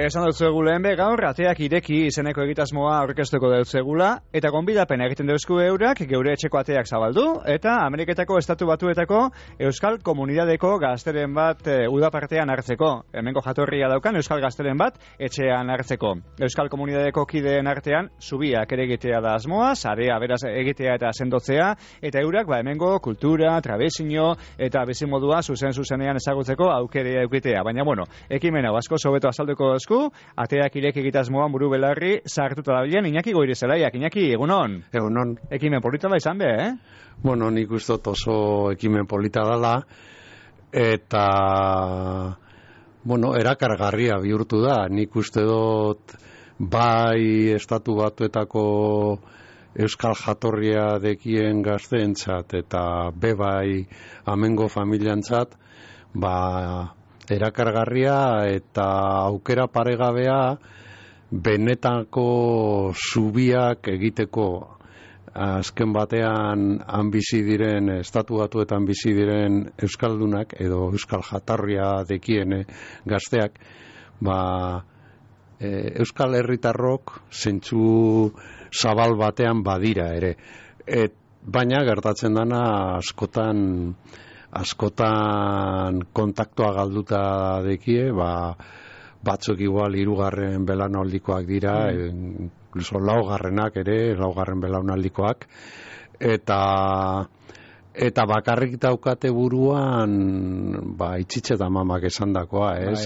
Esan dut zegula gaur, ateak ireki izeneko egitasmoa aurkeztuko dut zegula, eta gonbidapen egiten deuzku eurak, geure etxeko ateak zabaldu, eta Ameriketako Estatu Batuetako Euskal Komunidadeko gazteren bat udapartean hartzeko. Hemengo jatorria daukan Euskal gazteren bat etxean hartzeko. Euskal Komunidadeko kideen artean, zubiak ere egitea da asmoa, sarea beraz egitea eta sendotzea, eta eurak hemengo kultura, tradizio eta bizimodua zuzenean ezagutzeko aukerea eukitea. Baina, ekimen hau asko sobeto azalduko dozku, ateak ireki egitasmoan buru belarri sartuta dabilen, Iñaki Goirizelaiak. Iñaki, egunon? Egunon. Ekimen polita da izan be, eh? Nik uste oso ekimen polita dela, eta, erakargarria bihurtu da. Nik uste dut, bai Estatu Batuetako euskal jatorria dekien gazteentzat, eta bai amengo familiantzat, erakargarria eta aukera paregabea benetako zubiak egiteko. Azken batean bizi diren, Estatu Batuetan bizi diren euskaldunak edo euskal jatorria dekien gazteak, euskal herritarrok zentzu zabal batean badira ere. Baina gertatzen dana askotan kontaktua galduta dekie, batzuk igual 3. belaunaldikoak dira, incluso laugarren belaunaldikoak, eta bakarrik daukate buruan itxitxe eta mamak esandakoa, ez?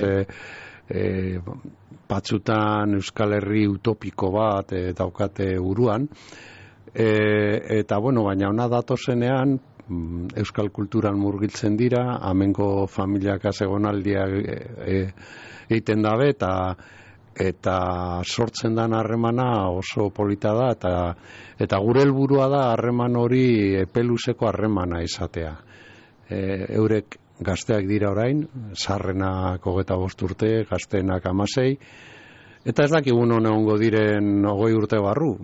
Batzutan Euskal Herri utopiko bat daukate buruan, eta baina ona datozenean euskal kulturan murgiltzen dira, amengo familiak azegonaldia egiten dabe, eta sortzen dan harremana oso polita da, eta gure helburua da harreman hori epeluzeko harremana izatea. Eurek gazteak dira orain, zaharrenak 25 urte, gazteenak 16, eta ez dakigun egongo diren 20 urte barru.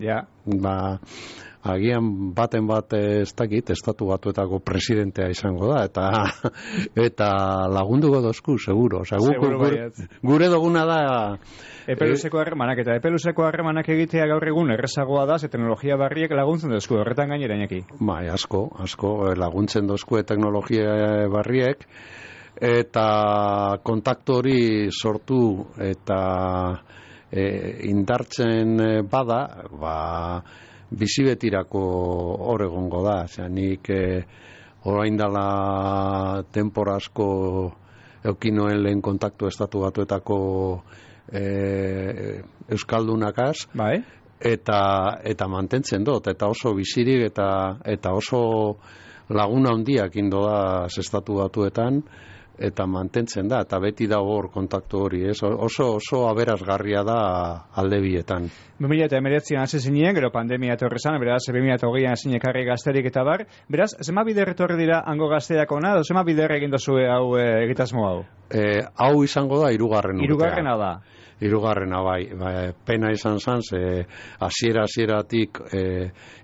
Agian baten bat ez dakit, Estatu Batuetako presidentea izango da, eta lagunduko dozku, seguro. Gure duguna da... Epeluzeko harremanak, eta epeluzeko harremanak egitea gaur egun errezagoa da, teknologia barriek laguntzen dozku, horretan gainera, Iñaki. Asko laguntzen dozku teknologia barriek, eta kontaktu hori sortu eta indartzen bada, bizibetirako hor egongo da. Nik orain dela denbora asko eukinoen lehen kontaktu Estatu Batuetako euskaldunakaz, eta mantentzen dut, eta oso bizirik eta oso laguna handiak indo da Estatu Batuetan, eta mantentzen da, eta beti da hor kontaktu hori, ez? Oso aberasgarria da alde bietan. 2019an hasi zinen, gero pandemia etorri zan, beraz 2020an hasi ekarri gazterik eta bar, beraz, zema bider etorri dira hango gazteak ona, edo zema bider egin dozue hau egitasmo hau? Hau izango da 3. urtea. 3. da? 3. bai, pena izan zan, hasieratik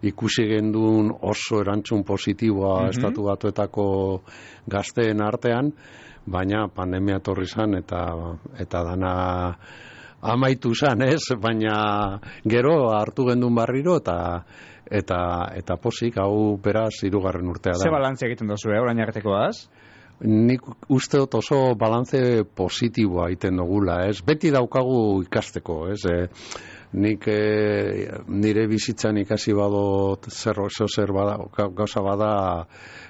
ikusi gendun oso erantzun positiboa Estatu Batuetako gazteen artean, baina pandemia etorri zan eta dana amaitu zan, ez? Baina gero hartu gendun barriro eta posik, hau beraz 3. urtea da. Ze balantzia egiten dozu, orain artekoaz? Nik uste dut oso balantze positiboa egiten dugula, ez? Beti daukagu ikasteko, ez? Nik nire bizitzan ikasi badot zer gauza bada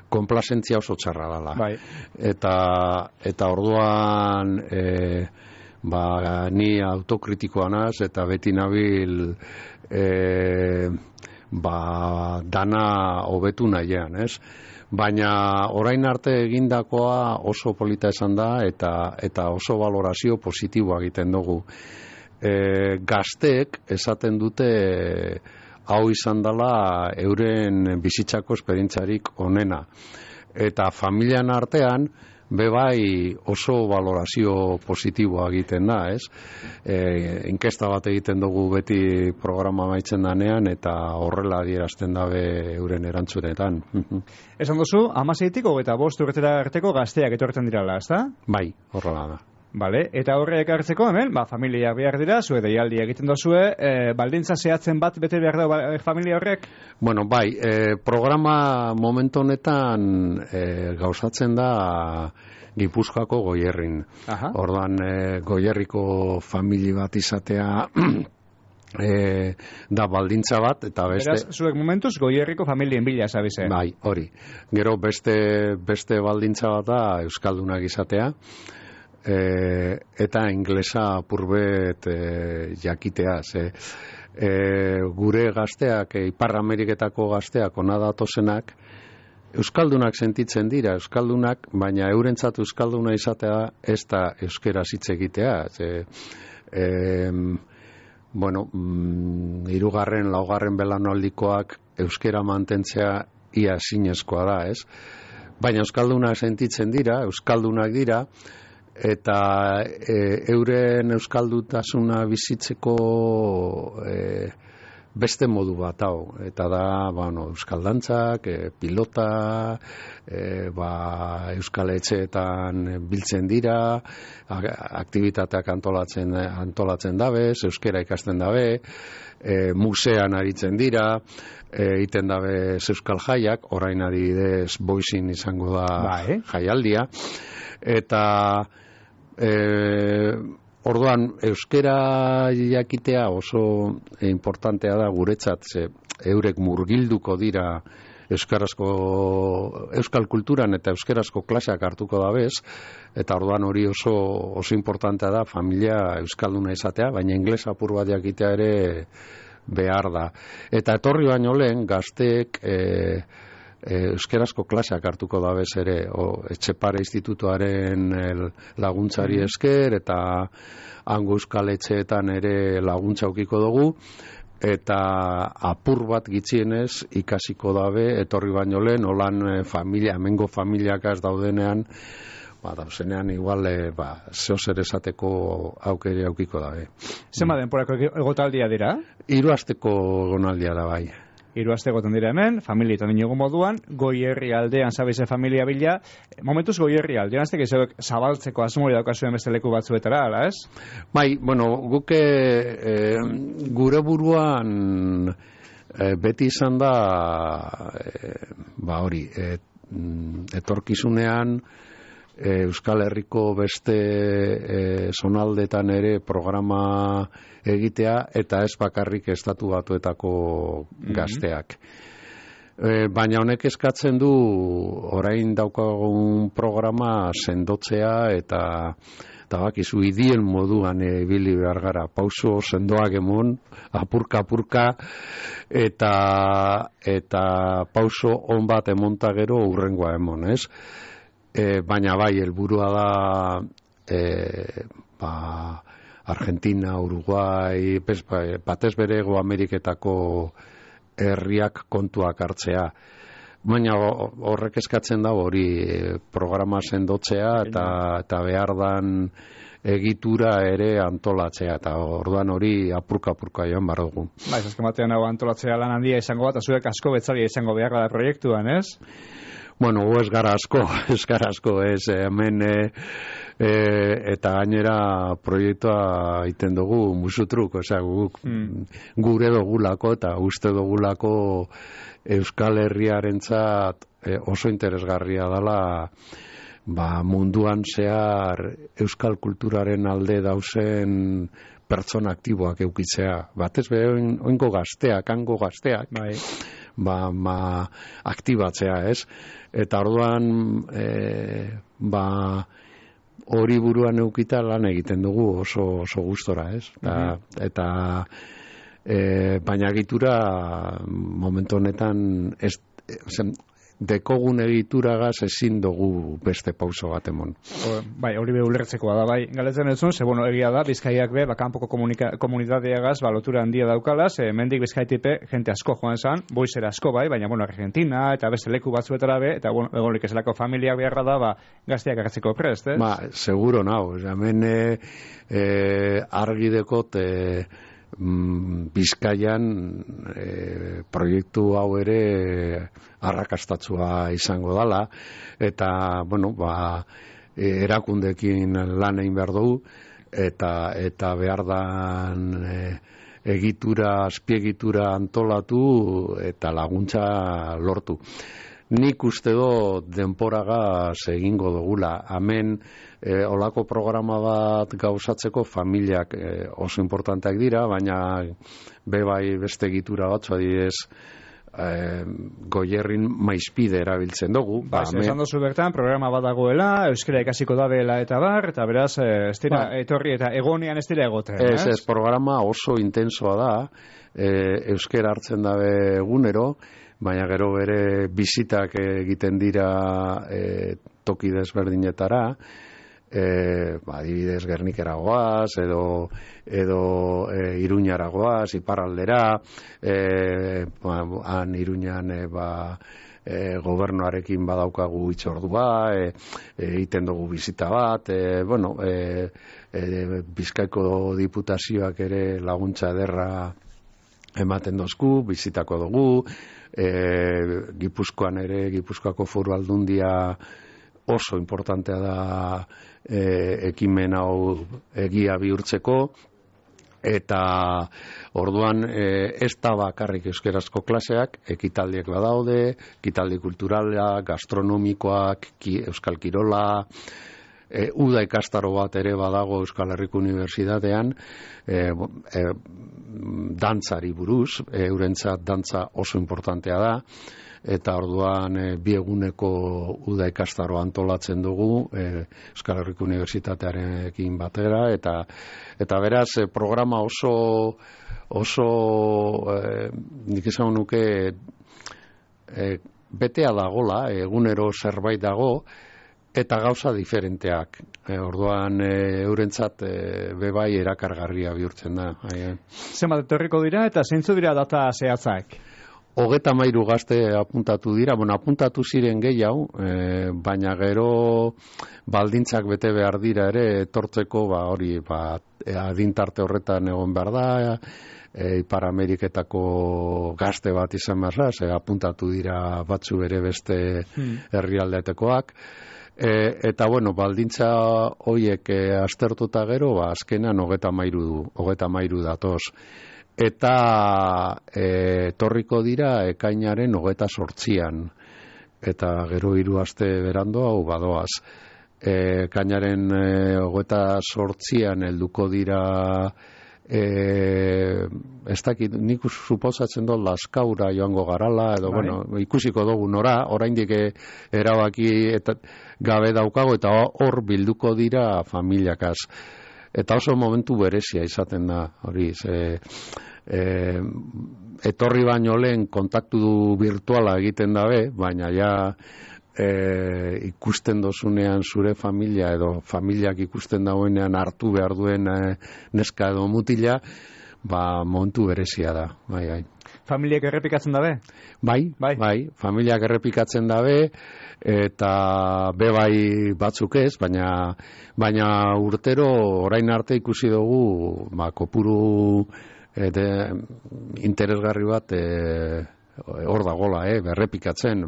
konplazentzia oso txarra dela. Eta orduan ni autokritikoa naz eta beti nabil dana hobetu nahian, ez? Baina orain arte egindakoa oso polita esan da eta oso valorazio positiboa egiten dugu. Gazteek esaten dute hau izan dela euren bizitzako esperientzarik onena. Eta familian artean bebai oso valorazio positiboa egiten da, ez? Inkesta bat egiten dugu beti programa maitzen danean eta horrela adierazten dabe euren erantzunetan. Esan duzu, 16tik 25 urtetara arteko gazteak etortzen dirala, ezta? Bai, horrela da. Vale, eta horre ekartzeko hemen, familia behar dira, zue deialdi egiten dozue, baldintza zehatzen bat bete behar da familia horrek? Bueno, bai, programa momentu honetan gauzatzen da Gipuzkoako Goierrin. Orduan, Goierriko familia bat izatea da baldintza bat, eta beste... Beraz, zuek momentuz Goierriko familien bila, zabize? Bai, hori. Gero beste baldintza bat da Euskaldunak izatea, eta inglesa apurbet jakitea, gure gazteak, Ipar Ameriketako gazteak ona datozenak, Euskaldunak sentitzen dira, Euskaldunak, baina eurentzat Euskalduna izatea ez da euskeraz hitz egitea. Bueno, 3., 4. belaunaldikoak euskera mantentzea ia ezinezkoa da, ez? Baina Euskaldunak sentitzen dira, Euskaldunak dira, eta euren euskaldutasuna bizitzeko beste modu bat hau, eta da, euskaldantzak, pilota, euskal etxeetan biltzen dira, aktibitateak antolatzen dabez, euskera ikasten dabe, musean aritzen dira, iten dabez euskal jaiak, orain adibidez boizin izango da jaialdia, eta orduan, euskera jakitea oso importantea da guretzat, eurek murgilduko dira euskal kulturan eta euskarazko klaseak hartuko dabez, eta orduan hori oso importantea da familia euskalduna izatea, baina inglesa apur bat jakitea ere behar da. Eta etorri baino lehen, gazteek euskarazko klaseak hartuko dabez ere, Etxepare Institutuaren laguntzari esker, eta hango euskal etxeetan ere laguntza aukiko dugu, eta apur bat gitxienez ikasiko dabe, etorri baino lehen, holan hemengo familiak ez daudenean, dauzenean igual zeozer esateko aukere aukiko dabe. Zenba denporako egotaldia dira? 3 asteko egonaldia da bai. 3 aste egoten dira hemen, familietan inigo moduan, Goierri aldean zabize familia bila, momentuz Goierri aldean, azte gizeok zabaltzeko asmori daukazuen beste leku batzuetara, ala ez? Bai, guke gure buruan beti izan da, hori, etorkizunean, Euskal Herriko beste zonaldetan ere programa egitea, eta ez bakarrik estatu batuetako gazteak. Baina honek eskatzen du orain daukagun programa sendotzea, eta bakizu idien moduan ibili behar gara, pauso sendoak emon, apurka, eta pauso on bat emonta gero urrengoa emon, ez? Baina bai, helburua da Argentina, Uruguai, batez bere Hego Ameriketako herriak kontuak hartzea. Baina horrek eskatzen da hori programa sendotzea eta behar dan egitura ere antolatzea, eta orduan hori apurka joan behar dugu. Azken batean hau antolatzea lan handia izango bat, azuek asko betzalia izango behar da proiektuan, ez? Bueno, ez gara asko, hemen eta gainera proiektua iten dugu musutruk, gure dugulako eta uste dugulako Euskal Herriarentzat oso interesgarria dela munduan zehar euskal kulturaren alde dauzen pertsona aktiboak eukitzea. Batez behin oingo gazteak, hango gazteak, aktibatzea, ez? Eta orduan, hori buruan eukita lan egiten dugu oso gustora, ez? Eta baina egitura momentu honetan dekogun egituragaz ezin dugu beste pauso bat emon. Bai, hori ulertzekoa da, bai. Galetzen ez zuen, egia da, Bizkaiak kanpoko komunitateagaz lotura handia daukala, mendik Bizkaitipe jente asko joan zan, boizera asko bai, baina Argentina eta beste leku batzuetara eta egonik ezelako familiak beharra da, gazteak agatzeko prest, ez? Seguro nao, hemen argi dekot Bizkaian proiektu hau ere arrakastatsua izango dala, eta erakundekin lan egin behar dugu, eta behar dan egitura, azpiegitura antolatu eta laguntza lortu. Nik uste do denporagaz egingo dugula. Hemen olako programa bat gauzatzeko familiak oso importanteak dira, baina bebai beste egitura batzu adibidez, Goierrin maizpide erabiltzen dugu. Esan dozu bertan, programa bat dagoela, euskara ikasiko dabela eta bar, eta beraz, ez dira etorri eta egonean ez dira egoten. Ez, programa oso intensoa da, euskara hartzen dabe egunero, baina gero bere bizitak egiten dira toki desberdinetara, adibidez Gernikera goaz, edo Iruñara goaz, iparraldera, han Iruñan gobernuarekin badaukagu hitzordua, egiten dugu bizita bat, Bizkaiko diputazioak ere laguntza ederra ematen dozku, bizitako dugu, Gipuzkoan ere, Gipuzkoako Foru Aldundia oso importantea da ekimen hau egia bihurtzeko, eta orduan ez da bakarrik euskerazko klaseak, ekitaldiak badaude, ekitaldi kulturala, gastronomikoak, euskal kirola, uda ikastaro bat ere badago Euskal Herriko Unibertsitatean, dantzari buruz, eurentzat dantza oso importantea da, eta orduan bi eguneko uda ikastaro antolatzen dugu Euskal Herriko Unibertsitatearekin batera, eta beraz programa oso nik esan nuke betea dagola, egunero zerbait dago, eta gauza diferenteak. Orduan eurentzat bebai erakargarria bihurtzen da. Zenbat etorriko dira eta zeintzu dira data zehatzak? 33 gazte apuntatu dira, apuntatu ziren gehiago, baina gero baldintzak bete behar dira ere, etortzeko adintarte horretan egon behar da, Ipar Ameriketako gazte bat izan behar, apuntatu dira batzu ere beste herrialdetekoak, eta baldintza horiek aztertuta gero, azkenan 33 datoz. Eta torriko dira ekainaren 28an, eta gero 3 aste berandu hau badoaz. Ekainaren 28an helduko dira, ez dakit, nik suposatzen dut Lazkaura joango garala, edo ikusiko dugu nora, oraindik erabaki eta gabe daukago, eta hor bilduko dira familiakaz. Eta oso momentu berezia izaten da, hori, etorri baino lehen kontaktu virtuala egiten dabe, baina ja ikusten dozunean zure familia edo familiak ikusten dauenean hartu behar duen neska edo mutila, momentu berezia da. Familiak errepikatzen dabe? Bai, familiak errepikatzen dabe, eta bebai batzuk ez, baina urtero orain arte ikusi dugu kopuru interesgarri bat hor dagola, berrepikatzen.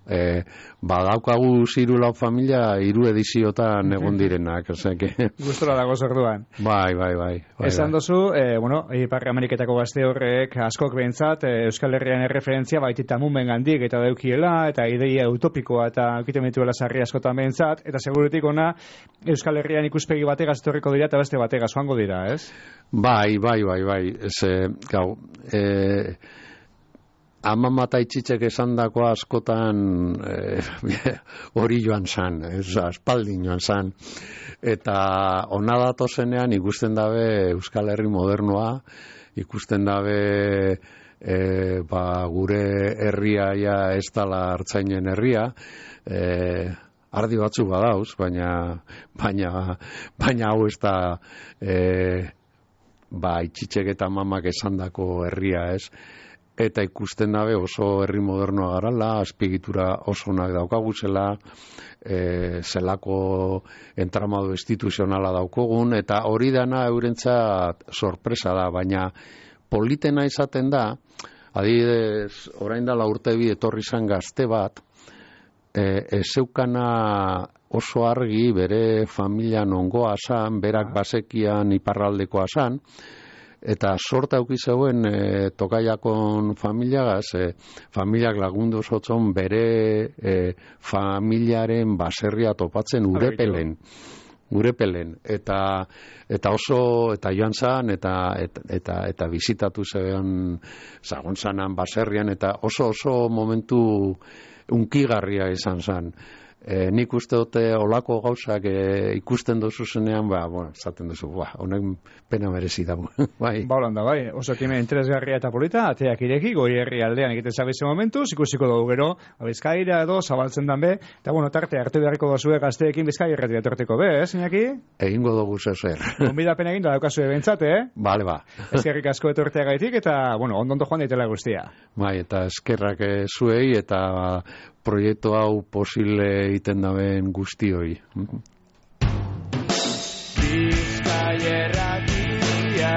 Badaukagu 3 familia 3 ediziotan egon direnak. Gustora dago zorduan. Bai. Esan dozu, Ipar Ameriketako gazte horrek askok behintzat Euskal Herrian erreferentzia baitita mumen gandik eta daukiela, eta ideia utopikoa eta aukiten dituela sarri askotan behintzat, eta segurutik ona Euskal Herrian ikuspegi bategaz etorriko dira eta beste bategaz joango dira, ez? Bai. Amama eta itxitzek esandakoa askotan hori joan zan, aspaldin joan zan. Eta ona datozenean ikusten dabe Euskal Herri modernoa, ikusten dabe gure herria ez dala Artzainen herria, ardi batzu badauz, baina hau ez da itxitzek eta amamak esandako herria ez. Eta ikusten dabe oso herri modernoa garala, azpiegitura oso onak daukaguzela, zelako entramado instituzionala daukogun, eta hori dana eurentzat sorpresa da, baina politena izaten da, adibidez, orain dela urte bi etorri zan gazte bat, ez zeukana oso argi bere familian ongoa zan, berak basekian iparraldekoa zan, eta sorta auki zeuen Tokaiakon familiagaz, familiak lagundu zotzon bere familiaren baserria topatzen Urepelen, eta oso, eta joan zan, eta bizitatu zeuen zagon zanan baserrian, eta oso momentu unkigarria izan zan. Nik uste dute olako gauzak ikusten dozu zenean, zaten duzu, honek pena merezi dago. Bai. Holanda, bai, oso ekimen interesgarria eta polita, ateak ireki, goi herri aldean egiten zabizen momentuz, ikusiko dugu gero, Bizkaira edo, zabaltzen dan be, eta tarte hartu beharko dozue gazteekin Bizkaira erretik etorteko be, Iñaki? Egingo dugu zer. Gonbidapen egin da daukazue bentsat, Bale, Eskerrik asko etortea gaitik, eta, ondo joan daitela guztia. Bai, eta eskerrak zuei, eta proiektu hau posible egiten daben guztioi. Bizkaia erratia